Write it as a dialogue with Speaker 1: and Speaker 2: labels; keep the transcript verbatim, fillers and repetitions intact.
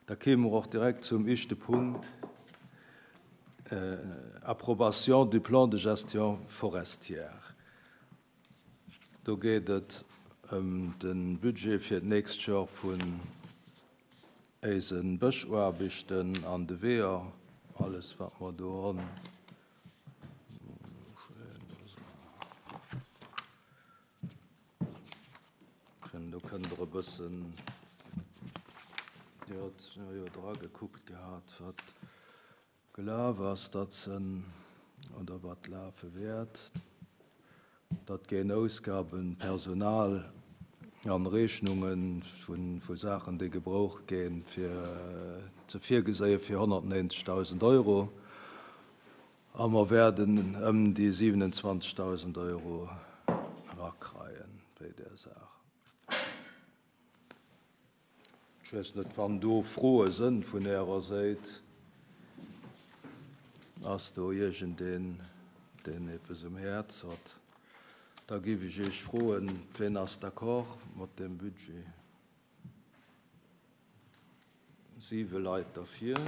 Speaker 1: Da kéime mer och direkt zum éischte Punkt, Approbation du plan de gestion forestière. Do geet et ëm de Budget fir d'nächst Joer vun éise Bëschaarbechten an de Weeër, alles wat mer do hunn. Do kënnt Der e bëssen, Dir hutt jo dra gekuckt gehat, wat gelaf ass, datt se, oder wat lafe wäert. Dat ginn Ausgaben, Personal an Rechnunge vu Saachen, déi gebraucht ginn, fir ze virgeséie fir honnertnéinzegdausend Euro. A mer wäerten ëm déi siwenundzwanzegdausend Euro erakreien bei där Saach. Ech weess net, wann do Froe sënn vun Ärer Säit. Ass do iergendeen, deen eppes um Häerz hott? Da géif ech Iech froen, wien ass d'accord mat deem Budget? Siwe Leit derfir.